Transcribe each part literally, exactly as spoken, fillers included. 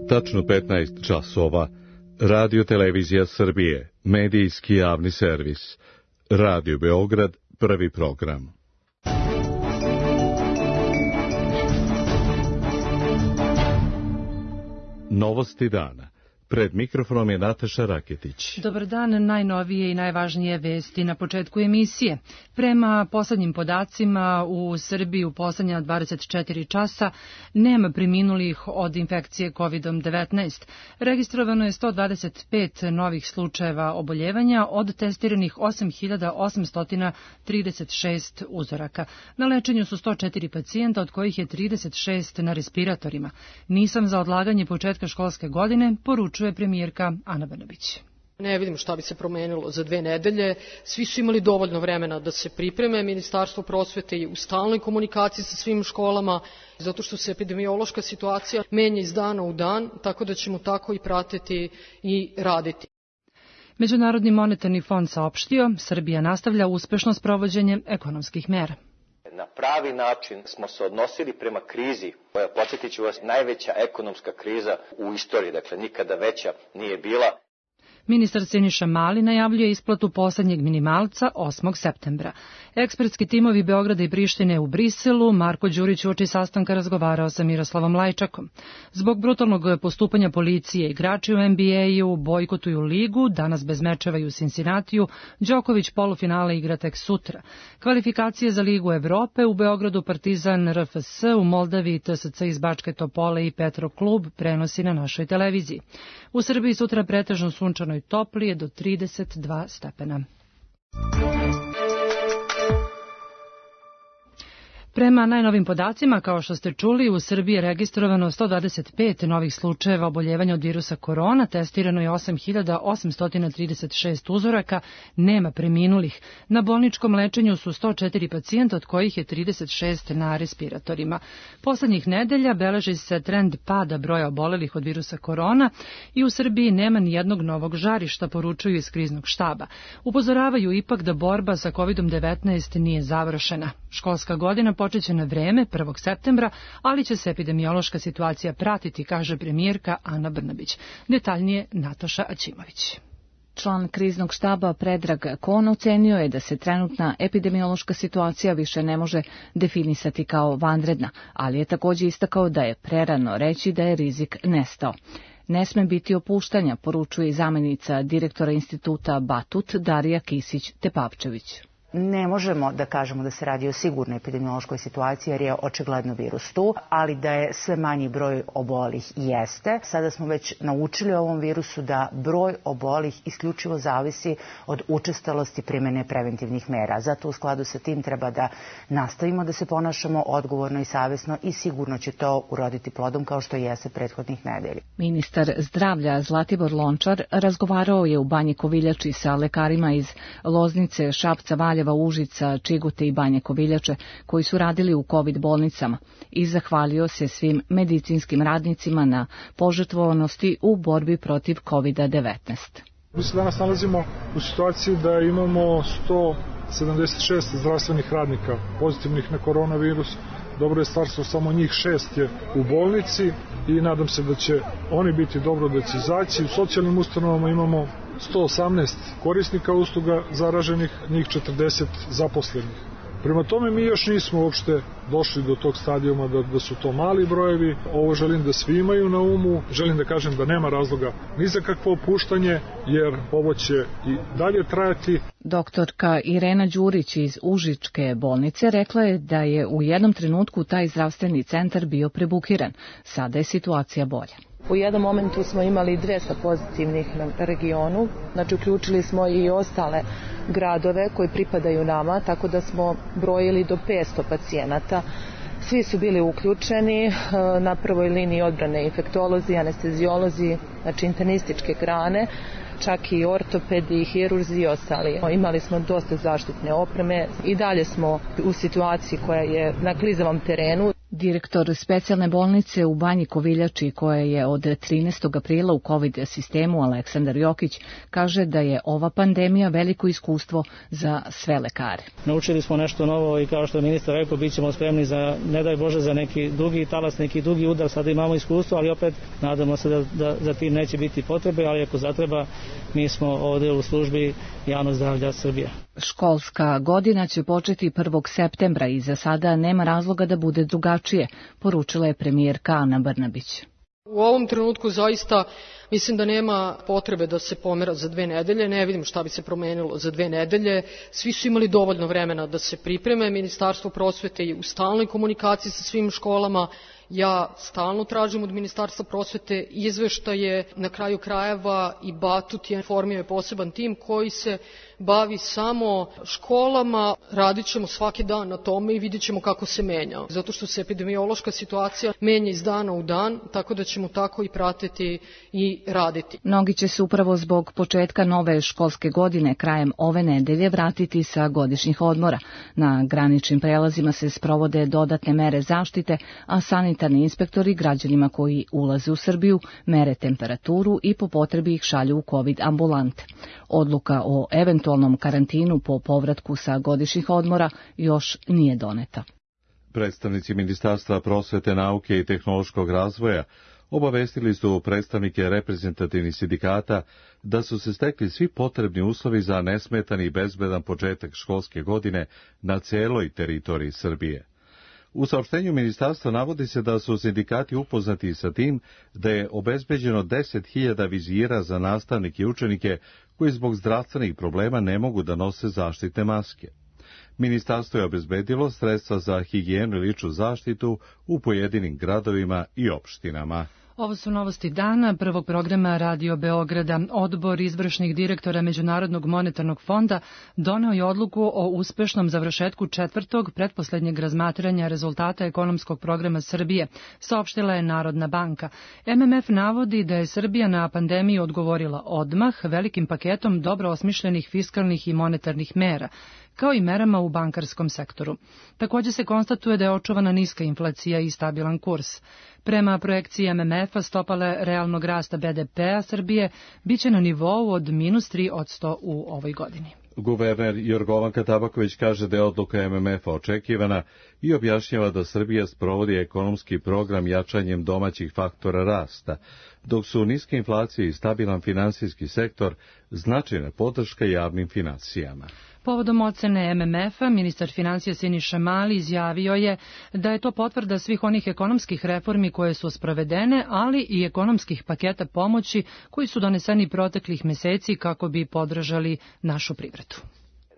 Tačno petnaest časova. Radio Televizija Srbije, medijski javni servis. Radio Beograd, prvi program. Novosti dana. Pred mikrofonom je Nataša Raketić. Dobar dan, najnovije i najvažnije vesti na početku emisije. Prema poslednjim podacima u Srbiji u poslednja dvadeset četiri časa nema preminulih od infekcije kovid devetnaest. Registrovano je sto dvadeset pet novih slučajeva oboljevanja od testiranih osam hiljada osamsto trideset šest uzoraka. Na lečenju su sto četiri pacijenta, od kojih je trideset šest na respiratorima. Nisam za odlaganje početka školske godine, poručuje premijerka Ana Brnabić. Ne vidim šta bi se promenilo za dve nedelje. Svi su imali dovoljno vremena da se pripreme. Ministarstvo prosvete je u stalnoj komunikaciji sa svim školama, zato što se epidemiološka situacija menja iz dana u dan, tako da ćemo tako i pratiti i raditi. Međunarodni monetarni fond saopštio, Srbija nastavlja uspešno sprovođenje ekonomskih mera. Na pravi način smo se odnosili prema krizi, koja, podsjetit ću vas, najveća ekonomska kriza u istoriji, dakle nikada veća nije bila. Ministar Siniša Mali najavljuje isplatu poslednjeg minimalca osmog septembra. Ekspertski timovi Beograda i Prištine u Briselu, Marko Đurić uoči sastanka razgovarao sa Miroslavom Lajčakom. Zbog brutalnog postupanja policije, igrači u N B A-u bojkotuju ligu, danas bez mečeva i u Cincinnatiju, Đoković polufinale igra tek sutra. Kvalifikacije za Ligu Evrope u Beogradu Partizan R F S, u Moldaviji T S C iz Bačke Topole i Petro klub prenosi na našoj televiziji. U Srbiji sutra pretežno sunčano i toplije do trideset dva stepena. Prema najnovim podacima, kao što ste čuli, u Srbiji je registrovano sto dvadeset pet novih slučajeva oboljevanja od virusa korona, testirano je osam hiljada osamsto trideset šest uzoraka, nema preminulih. Na bolničkom lečenju su sto četiri pacijenta, od kojih je trideset šest na respiratorima. Poslednjih nedelja beleži se trend pada broja obolelih od virusa korona i u Srbiji nema ni jednog novog žarišta, poručuju iz kriznog štaba. Upozoravaju ipak da borba sa kovid devetnaest nije završena. Školska godina počeće na vreme prvog septembra, ali će se epidemiološka situacija pratiti, kaže premijerka Ana Brnabić. Detaljnije Nataša Aćimović. Član kriznog štaba Predrag Kon ocenio je da se trenutna epidemiološka situacija više ne može definisati kao vanredna, ali je također istakao da je prerano reći da je rizik nestao. Ne sme biti opuštanja, poručuje i zamenica direktora instituta Batut Darija Kisić-Tepavčević. Ne možemo da kažemo da se radi o sigurnoj epidemiološkoj situaciji jer je očigledno virus tu, ali da je sve manji broj obolih jeste. Sada smo već naučili o ovom virusu da broj obolih isključivo zavisi od učestalosti primene preventivnih mera. Zato u skladu sa tim treba da nastavimo da se ponašamo odgovorno i savesno i sigurno će to uroditi plodom kao što jeste prethodnih nedelja. Ministar zdravlja Zlatibor Lončar razgovarao je u Banji Koviljači sa lekarima iz Loznice, Šapca, Valjeva, Užica, Čigute i Banje Koviljače koji su radili u kovid bolnicama i zahvalio se svim medicinskim radnicima na požrtvovanosti u borbi protiv kovid devetnaest. Mi se danas nalazimo u situaciji da imamo sto sedamdeset šest zdravstvenih radnika pozitivnih na koronavirus. Dobro je stvar što samo njih šest je u bolnici i nadam se da će oni biti dobro da će izaći. U socijalnim ustanovama imamo sto osamnaest korisnika usluga zaraženih, njih četrdeset zaposlenih. Prema tome mi još nismo uopšte došli do tog stadijuma da, da su to mali brojevi. Ovo želim da svi imaju na umu. Želim da kažem da nema razloga ni za kakvo opuštanje, jer ovo će i dalje trajati. Doktorka Irena Đurić iz Užičke bolnice rekla je da je u jednom trenutku taj zdravstveni centar bio prebukiran. Sada je situacija bolja. U jednom momentu smo imali dvesta pozitivnih na regionu, znači uključili smo i ostale gradove koji pripadaju nama, tako da smo brojili do petsto pacijenata. Svi su bili uključeni na prvoj liniji odbrane infektolozi, anesteziolozi, znači internističke grane, čak i ortopedi, hirurzi i ostali. Imali smo dosta zaštitne opreme i dalje smo u situaciji koja je na klizavom terenu. Direktor specijalne bolnice u Banji Koviljači, koja je od trinaestog aprila u COVID sistemu, Aleksandar Jokić, kaže da je ova pandemija veliko iskustvo za sve lekare. Naučili smo nešto novo i kao što je ministar rekao, bit ćemo spremni za, ne daj Bože, za neki dugi talas, neki dugi udar. Sada imamo iskustvo, ali opet nadamo se da, da za tim neće biti potrebe, ali ako zatreba, mi smo ovdje u službi javnog zdravlja Srbije. Školska godina će početi prvog septembra i za sada nema razloga da bude drugačije, poručila je premijerka Ana Brnabić. U ovom trenutku zaista mislim da nema potrebe da se pomera za dve nedelje, ne vidim šta bi se promenilo za dve nedelje. Svi su imali dovoljno vremena da se pripreme, Ministarstvo prosvete je u stalnoj komunikaciji sa svim školama. Ja stalno tražim od Ministarstva prosvete izveštaje, na kraju krajeva i Batut je formio poseban tim koji se bavi samo školama. Radit ćemo svaki dan na tome i vidjet ćemo kako se menja. Zato što se epidemiološka situacija menja iz dana u dan, tako da ćemo tako i pratiti i raditi. Mnogi će se upravo zbog početka nove školske godine krajem ove nedelje vratiti sa godišnjih odmora. Na graničnim prelazima se sprovode dodatne mere zaštite, a sanitarni inspektori građanima koji ulaze u Srbiju mere temperaturu i po potrebi ih šalju u COVID ambulante. Odluka o eventualnom karantinu po povratku sa godišnjih odmora još nije doneta. Predstavnici Ministarstva prosvete, nauke i tehnološkog razvoja obavestili su predstavnike reprezentativnih sindikata da su se stekli svi potrebni uslovi za nesmetan i bezbedan početak školske godine na celoj teritoriji Srbije. U saopštenju ministarstva navodi se da su sindikati upoznati sa tim da je obezbeđeno deset hiljada vizira za nastavnike i učenike koji zbog zdravstvenih problema ne mogu da nose zaštitne maske. Ministarstvo je obezbedilo sredstva za higijenu i ličnu zaštitu u pojedinim gradovima i opštinama. Ovo su novosti dana prvog programa Radio Beograda. Odbor izvršnih direktora Međunarodnog monetarnog fonda doneo je odluku o uspešnom završetku četvrtog pretposlednjeg razmatranja rezultata ekonomskog programa Srbije, saopštila je Narodna banka. M M F navodi da je Srbija na pandemiju odgovorila odmah velikim paketom dobro osmišljenih fiskalnih i monetarnih mera, kao i merama u bankarskom sektoru. Također se konstatuje da je očuvana niska inflacija i stabilan kurs. Prema projekciji M M F-a stopale realnog rasta B D P-a Srbije biće na nivou od minus tri posto u ovoj godini. Guverner Jorgovanka Tabaković kaže da je odluka M M F-a očekivana i objašnjava da Srbija sprovodi ekonomski program jačanjem domaćih faktora rasta, dok su niske inflacije i stabilan finansijski sektor značajna podrška javnim finansijama. Povodom ocene M M F-a, ministar financija Siniša Mali izjavio je da je to potvrda svih onih ekonomskih reformi koje su sprovedene, ali i ekonomskih paketa pomoći koji su doneseni proteklih meseci kako bi podržali našu privredu.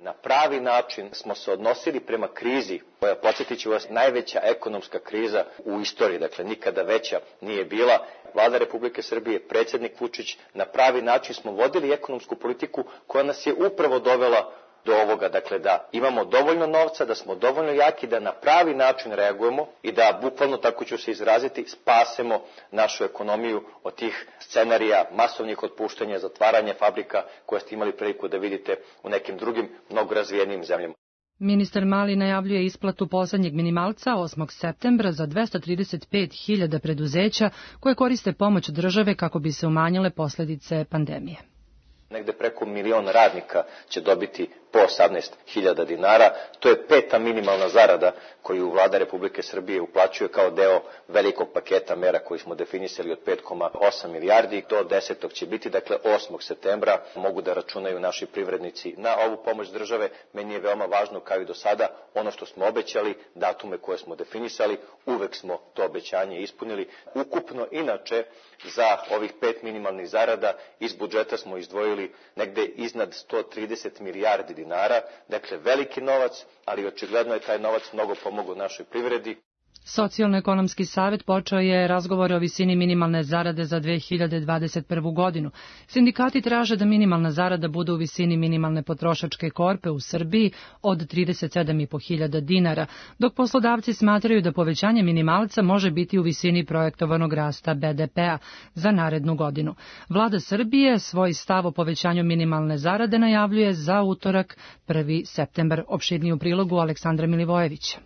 Na pravi način smo se odnosili prema krizi, koja, podsjetit ću vas, najveća ekonomska kriza u istoriji, dakle nikada veća nije bila. Vlada Republike Srbije, predsjednik Vučić, na pravi način smo vodili ekonomsku politiku koja nas je upravo dovela do ovoga, dakle da imamo dovoljno novca, da smo dovoljno jaki, da na pravi način reagujemo i da, bukvalno tako ću se izraziti, spasemo našu ekonomiju od tih scenarija masovnih otpuštanja, zatvaranja fabrika koje ste imali priliku da vidite u nekim drugim mnogo razvijenim zemljama. Ministar Mali najavljuje isplatu poslednjeg minimalca osmog septembra za dvesta trideset pet hiljada preduzeća koje koriste pomoć države kako bi se umanjile posledice pandemije. Negde preko milion radnika će dobiti po osamnaest hiljada dinara. To je peta minimalna zarada koju Vlada Republike Srbije uplaćuje kao deo velikog paketa mera koji smo definisali od pet zarez osam milijardi. Do desetog će biti, dakle osmog septembra, mogu da računaju naši privrednici na ovu pomoć države. Meni je veoma važno, kao i do sada, ono što smo obećali, datume koje smo definisali, uvek smo to obećanje ispunili. Ukupno, inače, za ovih pet minimalnih zarada iz budžeta smo izdvojili negde iznad sto trideset milijardi dinara, dakle veliki novac, ali očigledno je taj novac mnogo pomogao našoj privredi. Socijalno-ekonomski savet počeo je razgovore o visini minimalne zarade za dve hiljade dvadeset prvu godinu. Sindikati traže da minimalna zarada bude u visini minimalne potrošačke korpe u Srbiji od trideset sedam i po hiljada dinara, dok poslodavci smatraju da povećanje minimalca može biti u visini projektovanog rasta B D P-a za narednu godinu. Vlada Srbije svoj stav o povećanju minimalne zarade najavljuje za utorak prvi septembar. Opširniji u prilogu Aleksandra Milivojevića.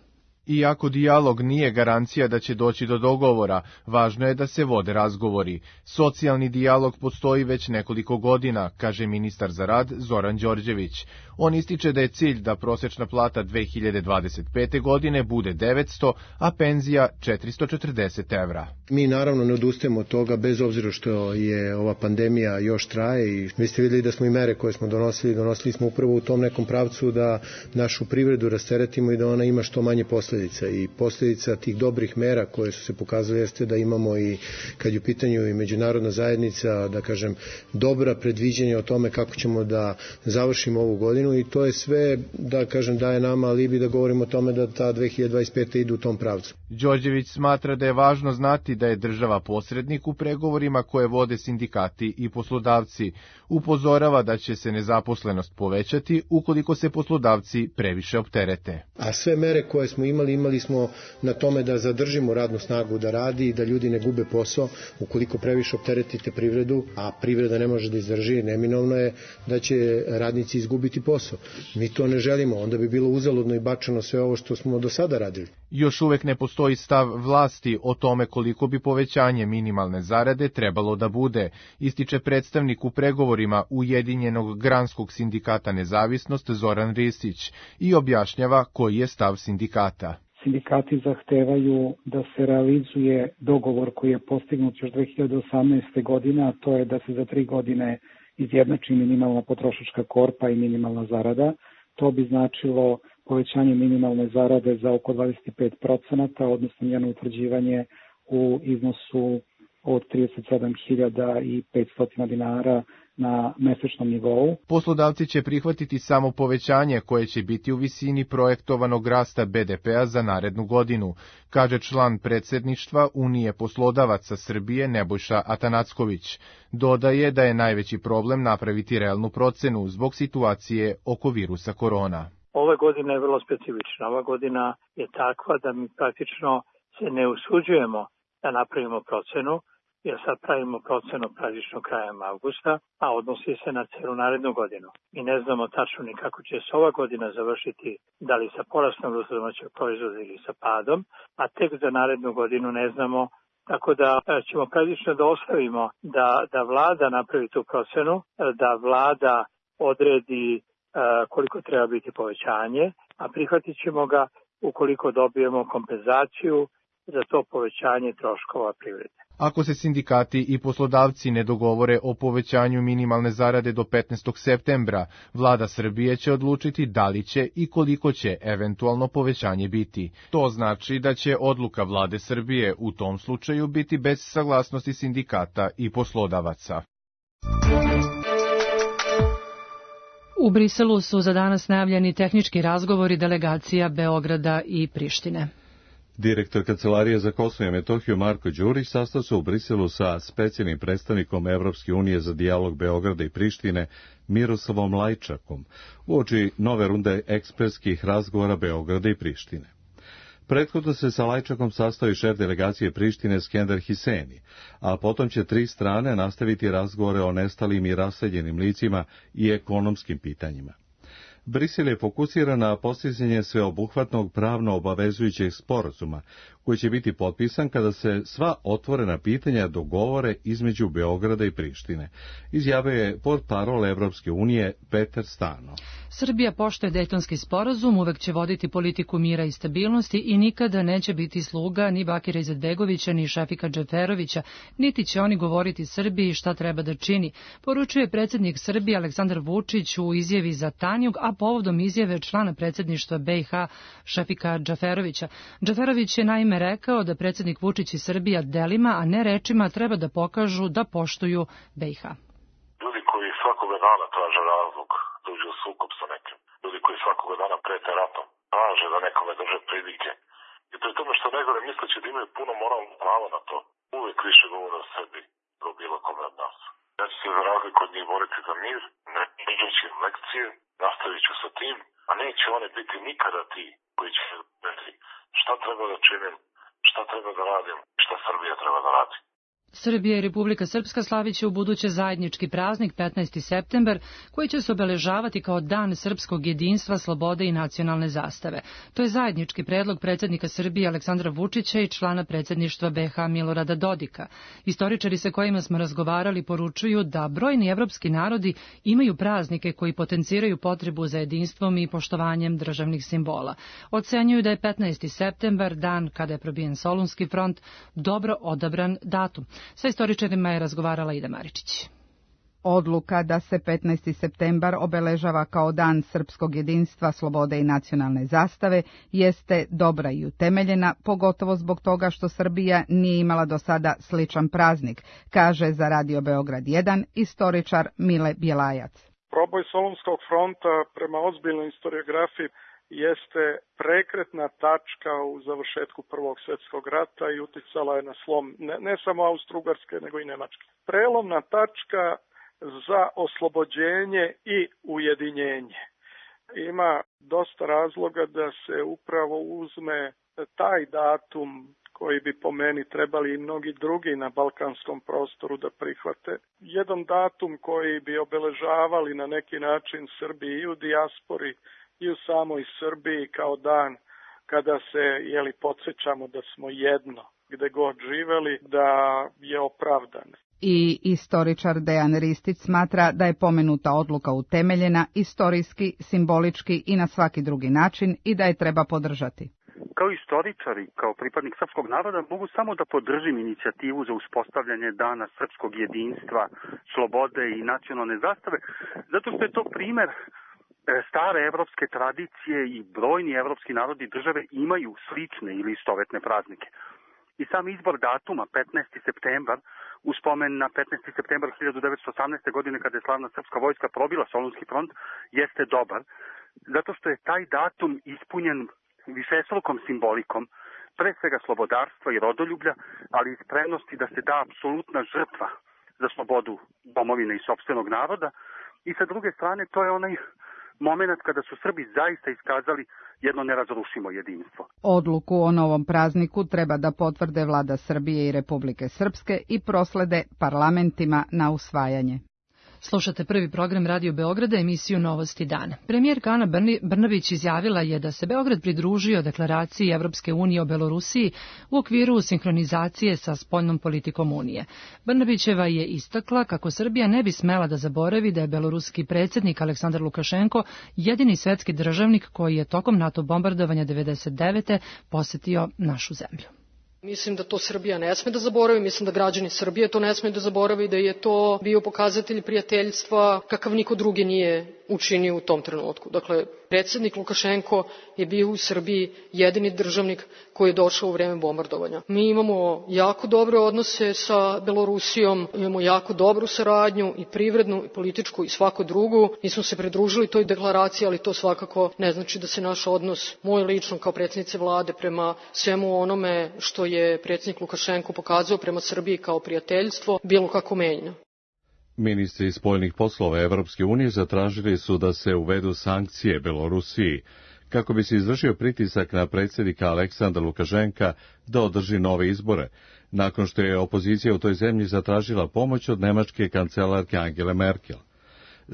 Iako dijalog nije garancija da će doći do dogovora, važno je da se vode razgovori. Socijalni dijalog postoji već nekoliko godina, kaže ministar za rad Zoran Đorđević. On ističe da je cilj da prosečna plata dve hiljade dvadeset pete. godine bude devetsto, a penzija četiristo četrdeset evra. Mi naravno ne odustajemo od toga, bez obzira što je ova pandemija još traje i vi ste videli da smo i mere koje smo donosili, donosili smo upravo u tom nekom pravcu da našu privredu rasteretimo i da ona ima što manje posljedica. I posljedica tih dobrih mera koje su se pokazale jeste da imamo i, kad je u pitanju i međunarodna zajednica, da kažem, dobra predviđenja o tome kako ćemo da završimo ovu godinu i to je sve, da kažem, daje nama alibi da govorimo o tome da ta dve hiljade dvadeset peta. ide u tom pravcu. Đorđević smatra da je važno znati da je država posrednik u pregovorima koje vode sindikati i poslodavci. Upozorava da će se nezaposlenost povećati ukoliko se poslodavci previše opterete. A sve mere koje smo imali, imali smo na tome da zadržimo radnu snagu da radi i da ljudi ne gube posao. Ukoliko previše opteretite privredu, a privreda ne može da izdrži, neminovno je da će radnici izgubiti posao. Mi to ne želimo, onda bi bilo uzaludno i bačeno sve ovo što smo do sada radili. Još uvek ne postoji stav vlasti o tome koliko bi povećanje minimalne zarade trebalo da bude, ističe predstavnik u pregovorima Ujedinjenog granskog sindikata Nezavisnost Zoran Ristić i objašnjava koji je stav sindikata. Sindikati zahtevaju da se realizuje dogovor koji je postignut još dve hiljade osamnaeste. godine, a to je da se za tri godine izjednači minimalna potrošačka korpa i minimalna zarada. To bi značilo povećanje minimalne zarade za oko dvadeset pet procenata, odnosno njeno utvrđivanje u iznosu od trideset sedam hiljada petsto dinara na mesečnom nivou. Poslodavci će prihvatiti samo povećanje koje će biti u visini projektovanog rasta be de pea za narednu godinu, kaže član predsedništva Unije poslodavaca Srbije Nebojša Atanacković. Dodaje da je najveći problem napraviti realnu procenu zbog situacije oko virusa korona. Ova godina je vrlo specifična. Ova godina je takva da mi praktično se ne usuđujemo da napravimo procenu, jer sad pravimo procenu praktično krajem avgusta, a odnosi se na celu narednu godinu. Mi ne znamo tačno ni kako će se ova godina završiti, da li sa porastom bruto domaćeg proizvoda ili sa padom, a tek za narednu godinu ne znamo, tako da ćemo praktično da ostavimo da, da vlada napravi tu procenu, da vlada odredi koliko treba biti povećanje, a prihvatit ćemo ga ukoliko dobijemo kompenzaciju za to povećanje troškova privrede. Ako se sindikati i poslodavci ne dogovore o povećanju minimalne zarade do petnaestog septembra, vlada Srbije će odlučiti da li će i koliko će eventualno povećanje biti. To znači da će odluka vlade Srbije u tom slučaju biti bez saglasnosti sindikata i poslodavaca. U Briselu su za danas najavljeni tehnički razgovori delegacija Beograda i Prištine. Direktor Kancelarije za Kosovo i Metohiju Marko Đurić sastao se u Briselu sa specijalnim predstavnikom Evropske unije za dijalog Beograda i Prištine Miroslavom Lajčakom uoči nove runde ekspertskih razgovora Beograda i Prištine. Prethodno se sa Lajčakom sastao i šef delegacije Prištine Skender Hiseni, a potom će tri strane nastaviti razgovore o nestalim i raseljenim licima i ekonomskim pitanjima. Brisel je fokusiran na postizanje sveobuhvatnog pravno obavezujućeg sporazuma, koji će biti potpisan kada se sva otvorena pitanja dogovore između Beograda i Prištine, izjavio je portparol Evropske unije Petar Stano. Srbija poštuje Dejtonski sporazum, uvek će voditi politiku mira i stabilnosti i nikada neće biti sluga ni Bakira Izetbegovića ni Šefika Džeferovića, niti će oni govoriti Srbiji šta treba da čini, poručuje predsjednik Srbije Aleksandar Vučić u izjavi za Tanjug, a povodom izjave člana predsjedništva be i ha Šefika Džeferovića. Džeferović je naime rekao da predsjednik Vučić i Srbija delima, a ne rečima, treba da pokažu da poštuju be i ha. Ljudi koji svakoga dana traže razlog, dođu u sukob sa nekim. Ljudi koji svakoga dana prete ratom, traže da nekome drže pridike. I pri tome što negore misleći da imaju puno moralno pravo na to, uvijek više govore o sebi do bilo kome od nas. Ja ću se za razliku od njih boriti za mir, ne iđeći im lekcije, nastavit ću sa tim, a neće oni biti nikada ti koji će reći šta treba da činim, šta treba da radim, šta Srbija treba da radi. Srbija i Republika Srpska slaviće u buduće zajednički praznik petnaesti septembar, koji će se obeležavati kao Dan srpskog jedinstva, slobode i nacionalne zastave. To je zajednički predlog predsjednika Srbije Aleksandra Vučića i člana predsjedništva B iH Milorada Dodika. Istoričari sa kojima smo razgovarali poručuju da brojni evropski narodi imaju praznike koji potenciraju potrebu za jedinstvom i poštovanjem državnih simbola. Ocenjuju da je petnaesti septembar, dan kada je probijen Solunski front, dobro odabran datum. Sa istoričarima je razgovarala Ida Maričić. Odluka da se petnaesti septembar obeležava kao dan srpskog jedinstva, slobode i nacionalne zastave jeste dobra i utemeljena, pogotovo zbog toga što Srbija nije imala do sada sličan praznik, kaže za Radio Beograd jedan istoričar Mile Bjelajac. Proboj Solunskog fronta prema ozbiljnoj historiografiji jeste prekretna tačka u završetku Prvog svjetskog rata i uticala je na slom ne, ne samo Austro-Ugarske, nego i Nemačke. Prelomna tačka za oslobođenje i ujedinjenje. Ima dosta razloga da se upravo uzme taj datum koji bi po meni trebali i mnogi drugi na balkanskom prostoru da prihvate. Jedan datum koji bi obeležavali na neki način Srbiji i u dijaspori i u samoj Srbiji kao dan kada se jeli, podsjećamo da smo jedno, gde god živeli, da je opravdan. I istoričar Dejan Ristić smatra da je pomenuta odluka utemeljena istorijski, simbolički i na svaki drugi način i da je treba podržati. Kao istoričar i kao pripadnik srpskog naroda mogu samo da podržim inicijativu za uspostavljanje dana srpskog jedinstva, slobode i nacionalne zastave, zato što je to primer stare evropske tradicije i brojni evropski narodi države imaju slične ili istovetne praznike. I sam izbor datuma petnaesti septembar u spomen na petnaesti septembar hiljadu devetsto osamnaeste. godine kada je slavna srpska vojska probila Solunski front jeste dobar, zato što je taj datum ispunjen višestrukom simbolikom, pre svega slobodarstva i rodoljublja, ali i spremnosti da se da apsolutna žrtva za slobodu domovine i sopstvenog naroda. I sa druge strane to je onaj moment kada su Srbi zaista iskazali jedno nerazrušimo jedinstvo. Odluku o novom prazniku treba da potvrde vlada Srbije i Republike Srpske i proslede parlamentima na usvajanje. Slušate prvi program Radio Beograda, emisiju Novosti dana. Premijerka Ana Brnabić izjavila je da se Beograd pridružio deklaraciji Evropske unije o Belorusiji u okviru sinhronizacije sa spoljnom politikom Unije. Brnabićeva je istakla kako Srbija ne bi smela da zaboravi da je beloruski predsjednik Aleksandar Lukašenko jedini svetski državnik koji je tokom NATO bombardovanja devedeset devete posetio našu zemlju. Mislim da to Srbija ne sme da zaboravi, mislim da građani Srbije to ne sme da zaboravi, da je to bio pokazatelj prijateljstva kakav niko drugi nije učinio u tom trenutku. Dakle, predsjednik Lukašenko je bio u Srbiji jedini državnik koji je došao u vreme bombardovanja. Mi imamo jako dobre odnose sa Belorusijom, imamo jako dobru saradnju i privrednu, i političku i svaku drugu. Mi smo se pridružili toj deklaraciji, ali to svakako ne znači da se naš odnos, moj lično kao predsjednice vlade, prema svemu onome što je predsjednik Lukašenko pokazao prema Srbiji kao prijateljstvo, bilo kako menja. Ministri spoljnih poslova Evropske unije zatražili su da se uvedu sankcije Belorusiji, kako bi se izvršio pritisak na predsjednika Aleksandra Lukašenka da održi nove izbore, nakon što je opozicija u toj zemlji zatražila pomoć od nemačke kancelarke Angele Merkel.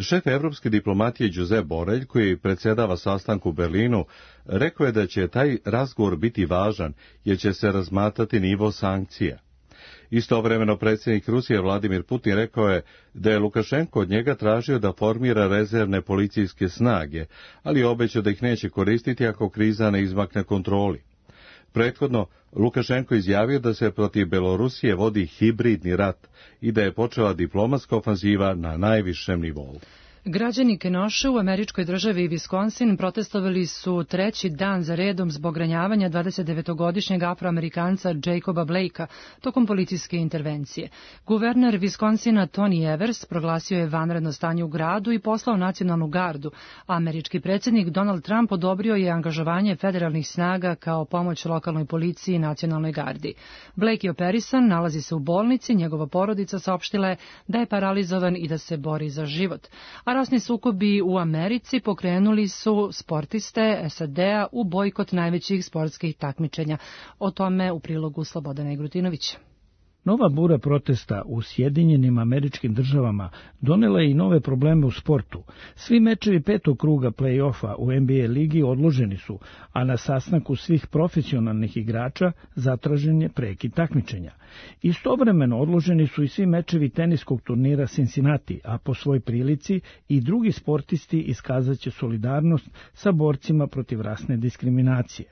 Šef evropske diplomatije Josep Borrell, koji predsjedava sastanku u Berlinu, rekao je da će taj razgovor biti važan jer će se razmatrati nivo sankcija. Istovremeno predsjednik Rusije Vladimir Putin rekao je da je Lukašenko od njega tražio da formira rezervne policijske snage, ali obećao da ih neće koristiti ako kriza ne izmakne kontroli. Prethodno, Lukašenko izjavio da se protiv Belorusije vodi hibridni rat i da je počela diplomatska ofanziva na najvišem nivou. Građani Kenosha u američkoj državi Wisconsin protestovali su treći dan za redom zbog ranjavanja dvadesetdevetogodišnjeg afroamerikanca Jacoba Blakea tokom policijske intervencije. Guverner Wisconsina Tony Evers proglasio je vanredno stanje u gradu i poslao nacionalnu gardu. Američki predsjednik Donald Trump odobrio je angažovanje federalnih snaga kao pomoć lokalnoj policiji i nacionalnoj gardi. Blake je operisan, nalazi se u bolnici, njegova porodica saopštila je da je paralizovan i da se bori za život. A rasni sukobi u Americi pokrenuli su sportiste S A D-a u bojkot najvećih sportskih takmičenja. O tome u prilogu Slobodana Igrutinovića. Nova bura protesta u Sjedinjenim Američkim Državama donela je i nove probleme u sportu. Svi mečevi petog kruga play-offa u N B A ligi odloženi su, a na sastanku svih profesionalnih igrača zatražen je prekid takmičenja. Istovremeno odloženi su i svi mečevi teniskog turnira Cincinnati, a po svoj prilici i drugi sportisti iskazaće solidarnost sa borcima protiv rasne diskriminacije.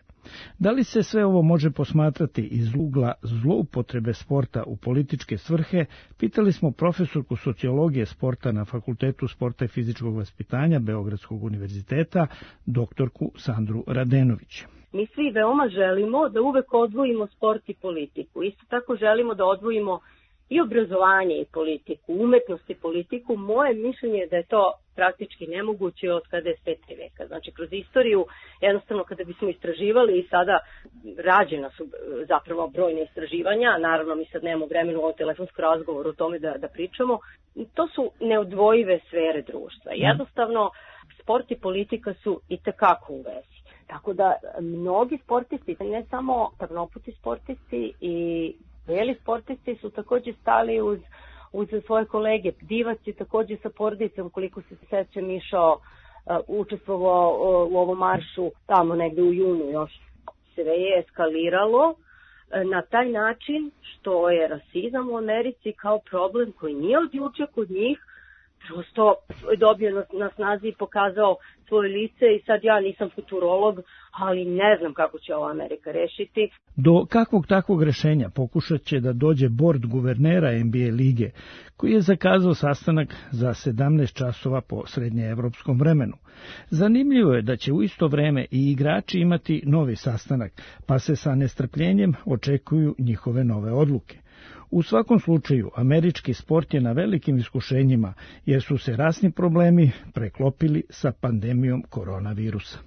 Da li se sve ovo može posmatrati iz ugla zloupotrebe sporta u političke svrhe, pitali smo profesorku sociologije sporta na Fakultetu sporta i fizičkog vaspitanja Beogradskog univerziteta, doktorku Sandru Radenović. Mi svi veoma želimo da uvek odvojimo sport i politiku. Isto tako želimo da odvojimo i obrazovanje i politiku, umetnost i politiku. Moje mišljenje je da je to praktički nemoguće od kada je sveti veka. Znači, kroz istoriju, jednostavno kada bismo istraživali i sada rađena su zapravo brojne istraživanja, naravno mi sad nemamo vremena u ovom telefonskom razgovoru o tome da, da pričamo, to su neodvojive sfere društva. Jednostavno, sport i politika su i tekako u vezi. Tako da mnogi sportisti, ne samo trnoputi sportisti i beli sportisti su također stali uz, uz svoje kolege. Divac je također sa porodicom, koliko se sećam, išao, uh, učestvovao uh, u ovom maršu tamo negde u junu još. Sve je eskaliralo uh, na taj način što je rasizam u Americi kao problem koji nije od juče kod njih, prosto dobio na, na snazi i pokazao svoje lice i sad ja nisam futurolog, ali ne znam kako će ovo Amerika rešiti. Do kakvog takvog rešenja pokušat će da dođe bord guvernera N B A lige, koji je zakazao sastanak za sedamnaest časova po srednjeevropskom vremenu. Zanimljivo je da će u isto vreme i igrači imati novi sastanak, pa se sa nestrpljenjem očekuju njihove nove odluke. U svakom slučaju, američki sport je na velikim iskušenjima, jer su se rasni problemi preklopili sa pandemijom koronavirusa.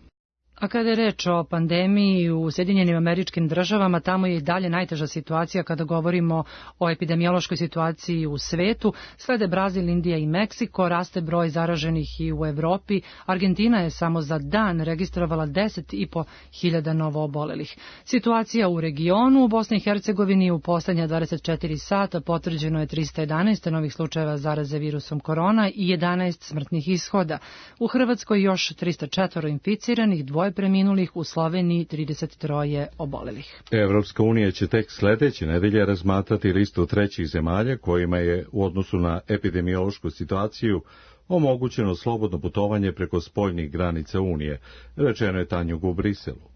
A kada je reč o pandemiji u Sjedinjenim Američkim Državama, tamo je i dalje najteža situacija kada govorimo o epidemiološkoj situaciji u svetu. Slede Brazil, Indija i Meksiko, raste broj zaraženih i u Evropi. Argentina je samo za dan registrovala deset i po hiljada novoobolelih. Situacija u regionu u Bosni i Hercegovini u poslednja dvadeset četiri sata potvrđeno je trista jedanaest novih slučajeva zaraze virusom korona i jedanaest smrtnih ishoda. U Hrvatskoj još trista četiri inficiranih, dvoje preminulih, u Sloveniji trideset tri obolelih. Evropska unija će tek sledeće nedelje razmatrati listu trećih zemalja kojima je u odnosu na epidemiološku situaciju omogućeno slobodno putovanje preko spoljnih granica Unije, rečeno je Tanjug u Briselu.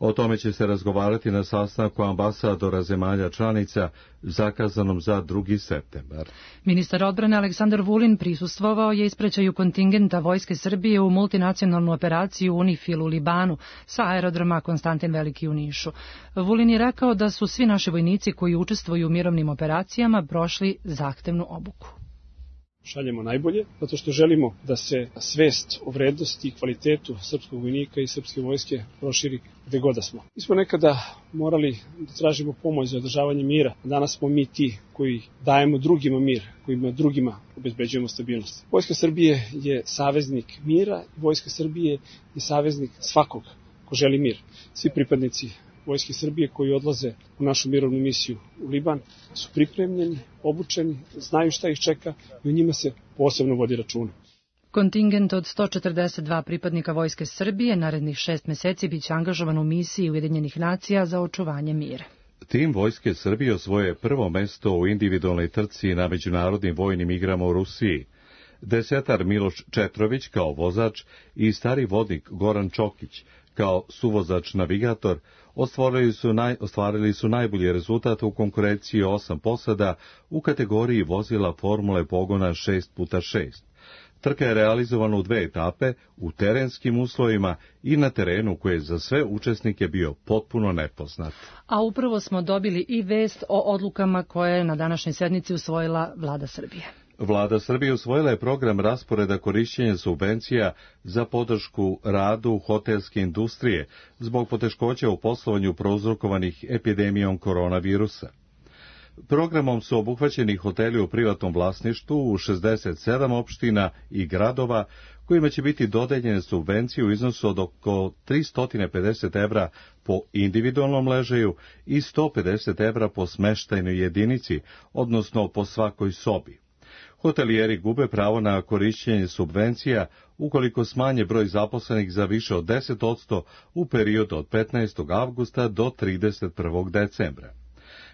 O tome će se razgovarati na sastanku ambasadora zemalja članica zakazanom za drugi septembar. Ministar odbrane Aleksandar Vulin prisustvovao je ispraćaju kontingenta Vojske Srbije u multinacionalnu operaciju UNIFIL u Libanu sa aerodroma Konstantin Veliki u Nišu. Vulin je rekao da su svi naši vojnici koji učestvuju u mirovnim operacijama prošli zahtevnu obuku. Šaljemo najbolje, zato što želimo da se svest o vrednosti i kvalitetu srpskog vojnika i srpske vojske proširi gde god da smo. Mi smo nekada morali da tražimo pomoć za održavanje mira, a danas smo mi ti koji dajemo drugima mir, kojima drugima obezbeđujemo stabilnost. Vojska Srbije je saveznik mira, Vojska Srbije je saveznik svakog ko želi mir. Svi pripadnici Vojske Srbije koji odlaze u našu mirovnu misiju u Liban su pripremljeni, obučeni, znaju šta ih čeka i o njima se posebno vodi računa. Kontingent od sto četrdeset dva pripadnika Vojske Srbije narednih šest meseci biće angažovan u misiji Ujedinjenih nacija za očuvanje mira. Tim Vojske Srbije osvoje prvo mesto u individualnoj trci na međunarodnim vojnim igrama u Rusiji. Desetar Miloš Četrović kao vozač i stari vodnik Goran Čokić kao suvozač-navigator ostvarili su, naj, ostvarili su najbolji rezultat u konkurenciji osam posada u kategoriji vozila formule pogona šest puta šest. Trka je realizovana u dve etape, u terenskim uslovima i na terenu koji je za sve učesnike bio potpuno nepoznat. A upravo smo dobili i vest o odlukama koje je na današnjoj sednici usvojila Vlada Srbije. Vlada Srbije usvojila je program rasporeda korišćenja subvencija za podršku radu hotelske industrije zbog poteškoća u poslovanju prouzrokovanih epidemijom koronavirusa. Programom su obuhvaćeni hoteli u privatnom vlasništvu u šezdeset sedam opština i gradova, kojima će biti dodeljene subvencije u iznosu od oko tristo pedeset evra po individualnom ležaju i sto pedeset evra po smeštajnoj jedinici, odnosno po svakoj sobi. Hotelijeri gube pravo na korišćenje subvencija ukoliko smanje broj zaposlenih za više od deset posto u periodu od petnaestog avgusta do trideset prvog decembra.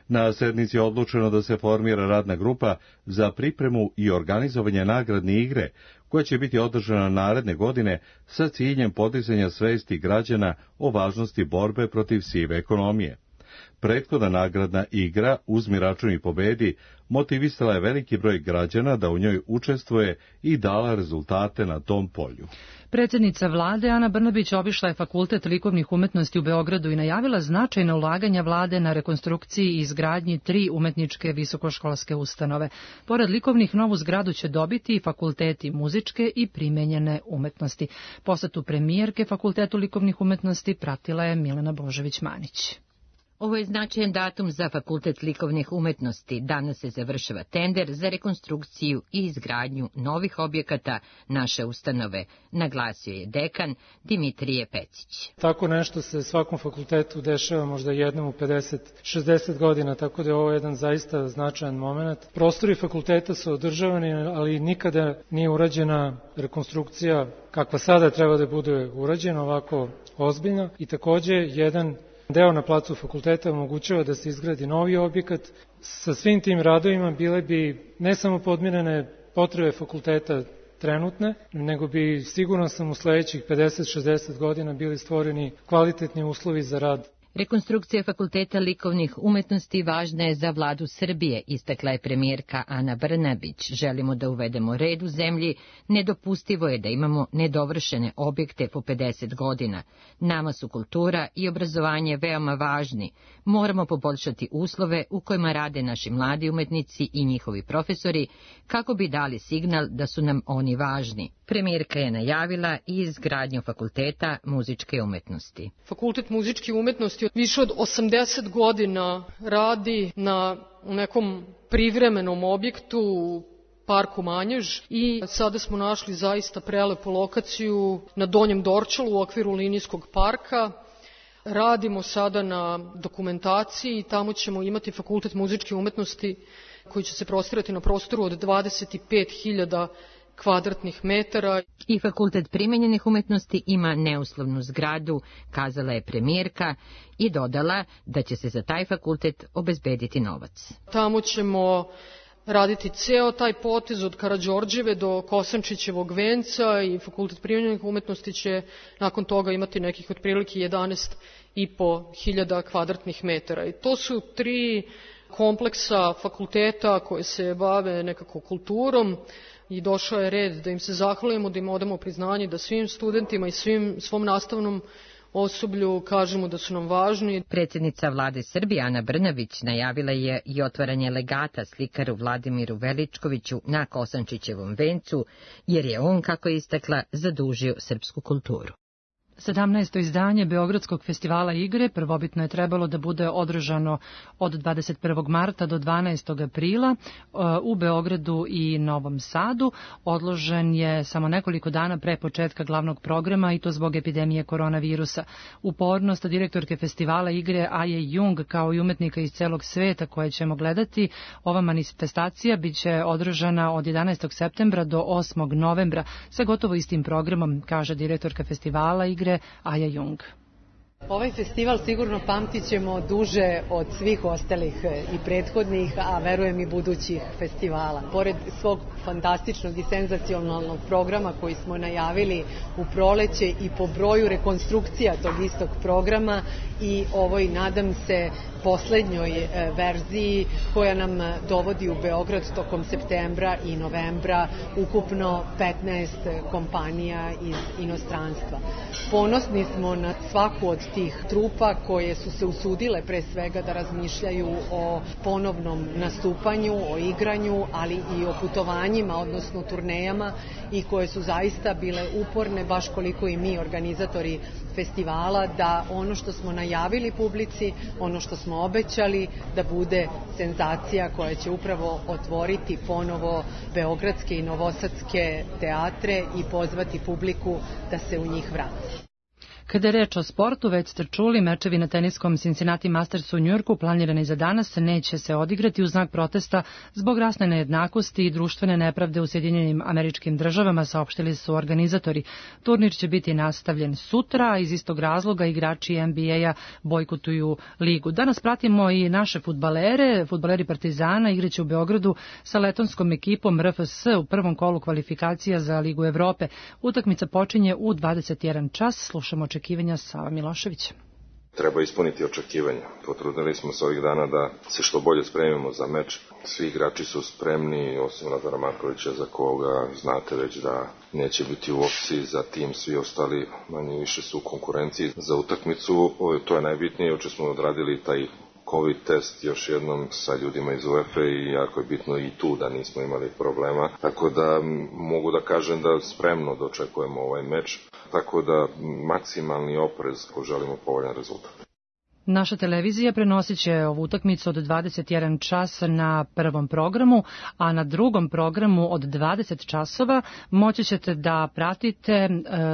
Na sednici je odlučeno da se formira radna grupa za pripremu i organizovanje nagradne igre, koja će biti održana naredne godine sa ciljem podizanja svesti građana o važnosti borbe protiv sive ekonomije. Prethodna nagradna igra Uzmi račun i pobedi motivisala je veliki broj građana da u njoj učestvuje i dala rezultate na tom polju. Predsjednica vlade Ana Brnabić obišla je Fakultet likovnih umetnosti u Beogradu i najavila značajna ulaganja vlade na rekonstrukciji i izgradnji tri umetničke visokoškolske ustanove. Pored likovnih, novu zgradu će dobiti i fakulteti muzičke i primenjene umetnosti. Posetu premijerke Fakultetu likovnih umetnosti pratila je Milena Božević-Manić. Ovo je značajan datum za Fakultet likovnih umetnosti. Danas se završava tender za rekonstrukciju i izgradnju novih objekata naše ustanove, naglasio je dekan Dimitrije Pecić. Tako nešto se svakom fakultetu dešava možda jednom u pedeset šezdeset godina, tako da je ovo jedan zaista značajan moment. Prostori fakulteta su održavani, ali nikada nije urađena rekonstrukcija kakva sada treba da bude urađena, ovako ozbiljno, i takođe jedan deo na placu fakulteta omogućava da se izgradi novi objekat. Sa svim tim radovima bile bi ne samo podmirene potrebe fakulteta trenutne, nego bi sigurno sam u sledećih pedeset šezdeset godina bili stvoreni kvalitetni uslovi za rad. Rekonstrukcija Fakulteta likovnih umetnosti važna je za vladu Srbije, istakla je premijerka Ana Brnabić. Želimo da uvedemo red u zemlji, nedopustivo je da imamo nedovršene objekte po pedeset godina. Nama su kultura i obrazovanje veoma važni. Moramo poboljšati uslove u kojima rade naši mladi umetnici i njihovi profesori, kako bi dali signal da su nam oni važni. Premijerka je najavila i izgradnju Fakulteta muzičke umetnosti. Fakultet muzičke umetnosti više od osamdeset godina radi na nekom privremenom objektu u parku Manjež i sada smo našli zaista prelepu lokaciju na Donjem Dorčalu u okviru linijskog parka. Radimo sada na dokumentaciji i tamo ćemo imati Fakultet muzičke umetnosti koji će se prostirati na prostoru od dvadeset pet hiljada kvadratnih metara. I Fakultet primenjenih umetnosti ima neuslovnu zgradu, kazala je premijerka i dodala da će se za taj fakultet obezbediti novac. Tamo ćemo raditi ceo taj potez od Karađorđeve do Kosančićevog venca i Fakultet primenjenih umetnosti će nakon toga imati nekih otprilike jedanaest i po hiljada kvadratnih metara. I to su tri kompleksa fakulteta koje se bave nekako kulturom, i došao je red da im se zahvalimo, da im odamo priznanje, da svim studentima i svim, svom nastavnom osoblju kažemo da su nam važni. Predsjednica vlade Srbije Ana Brnabić najavila je i otvaranje legata slikaru Vladimiru Veličkoviću na Kosančićevom vencu, jer je on, kako je istakla, zadužio srpsku kulturu. sedamnaesto izdanje Beogradskog festivala igre prvobitno je trebalo da bude održano od dvadeset prvog marta do dvanaestog aprila u Beogradu i Novom Sadu. Odložen je samo nekoliko dana pre početka glavnog programa i to zbog epidemije koronavirusa. Upornost direktorke festivala igre Aje Jung kao i umetnika iz celog sveta koje ćemo gledati, ova manifestacija biće održana od jedanaestog septembra do osmog novembra sa gotovo istim programom, kaže direktorka festivala igre Aja Jung. Ovaj festival sigurno pamtit ćemo duže od svih ostalih i prethodnih, a verujem i budućih festivala. Pored svog fantastičnog i senzacionalnog programa koji smo najavili u proleće i po broju rekonstrukcija tog istog programa i ovoj, nadam se, poslednjoj verziji koja nam dovodi u Beograd tokom septembra i novembra ukupno petnaest kompanija iz inostranstva. Ponosni smo na svaku od tih trupa koje su se usudile pre svega da razmišljaju o ponovnom nastupanju, o igranju, ali i o putovanjima, odnosno turnejama, i koje su zaista bile uporne, baš koliko i mi organizatori festivala da ono što smo najavili publici, ono što smo obećali, da bude senzacija koja će upravo otvoriti ponovo beogradske i novosadske teatre i pozvati publiku da se u njih vrati. Kada je reč o sportu, već ste čuli, mečevi na teniskom Cincinnati Mastersu u Njujorku planirani za danas neće se odigrati u znak protesta zbog rasne nejednakosti i društvene nepravde u Sjedinjenim Američkim Državama, saopštili su organizatori. Turnir će biti nastavljen sutra, a iz istog razloga igrači N B A-a bojkotuju ligu. Danas pratimo i naše fudbalere. Fudbaleri Partizana igraće u Beogradu sa letonskom ekipom R F S u prvom kolu kvalifikacija za Ligu Evrope. Utakmica počinje u dvadeset jedan čas. Slušamo očekivanja Sava Miloševića. Treba ispuniti očekivanja. Potrudili smo se ovih dana da se što bolje spremimo za meč. Svi igrači su spremni, osim Lazara Markovića, za koga znate već da neće biti u opciji. Za tim svi ostali manje više su u konkurenciji za utakmicu. To je najbitnije. Juče smo odradili taj COVID test još jednom sa ljudima iz UEFA i jako je bitno i tu da nismo imali problema. Tako da mogu da kažem da spremno dočekujemo ovaj meč. Tako da maksimalni oprez ako želimo povoljan rezultat. Naša televizija prenosit će ovu utakmicu od dvadeset jedan čas na prvom programu, a na drugom programu od dvadeset časova moći ćete da pratite e,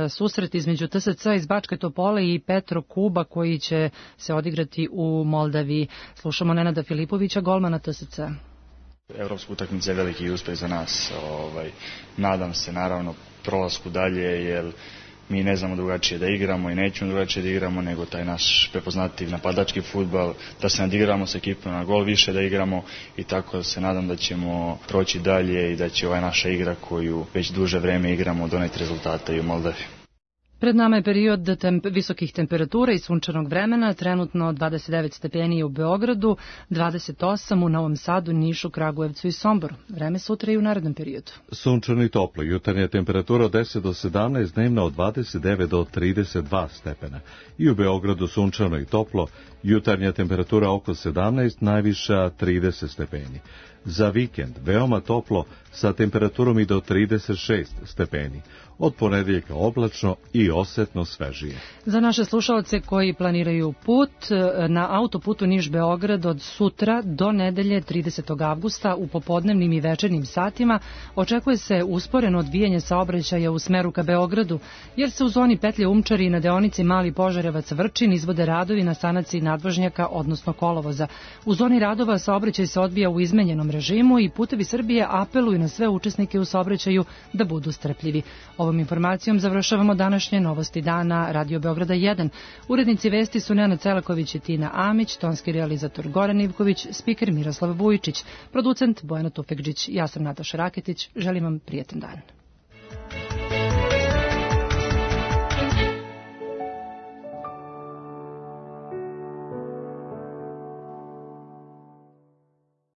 susret između T S C iz Bačke Topole i Petro Kuba koji će se odigrati u Moldaviji. Slušamo Nenada Filipovića, golmana T S C. Evropska utakmica je veliki uspeh za nas. Ovaj, nadam se naravno prolasku dalje, jer mi ne znamo drugačije da igramo i nećemo drugačije da igramo nego taj naš prepoznatljiv napadački fudbal, da se nadigramo s ekipom na gol više da igramo i tako se nadam da ćemo proći dalje i da će ova naša igra koju već duže vreme igramo doneti rezultate i u Moldavi. Pred nama je period temp visokih temperatura i sunčanog vremena, trenutno dvadeset devet stepeni u Beogradu, dvadeset osam u Novom Sadu, Nišu, Kragujevcu i Somboru. Vreme sutra i u narednom periodu. Sunčano i toplo, jutarnja temperatura od deset do sedamnaest, dnevna od dvadeset devet do trideset dva stepena. I u Beogradu sunčano i toplo, jutarnja temperatura oko sedamnaest, najviša trideset stepeni. Za vikend veoma toplo sa temperaturom i do trideset šest stepeni. Od ponedeljka oblačno i osetno svežije. Za naše slušalce koji planiraju put na autoputu Niš-Beograd od sutra do nedelje tridesetog avgusta u popodnevnim i večernjim satima očekuje se usporeno odvijanje saobraćaja u smeru ka Beogradu, jer se u zoni petlje Umčari i na deonici Mali Požarevac-Vrčin izvode radovi na sanaciji nadvožnjaka, odnosno kolovoza. U zoni radova saobraćaj se odvija u izmenjenom režimu i Putevi Srbije apeluju na sve učesnike u saobraćaju da budu strpljivi. Ovom informacijom završavamo današnje novosti dana Radio Beograda jedan. Urednici vesti su Nenad Celaković i Tina Amić, tonski realizator Goran Ivković, spiker Miroslav Vujičić, producent Bojana Tufekđić. Ja sam Nataša Raketić. Želim vam prijetan dan.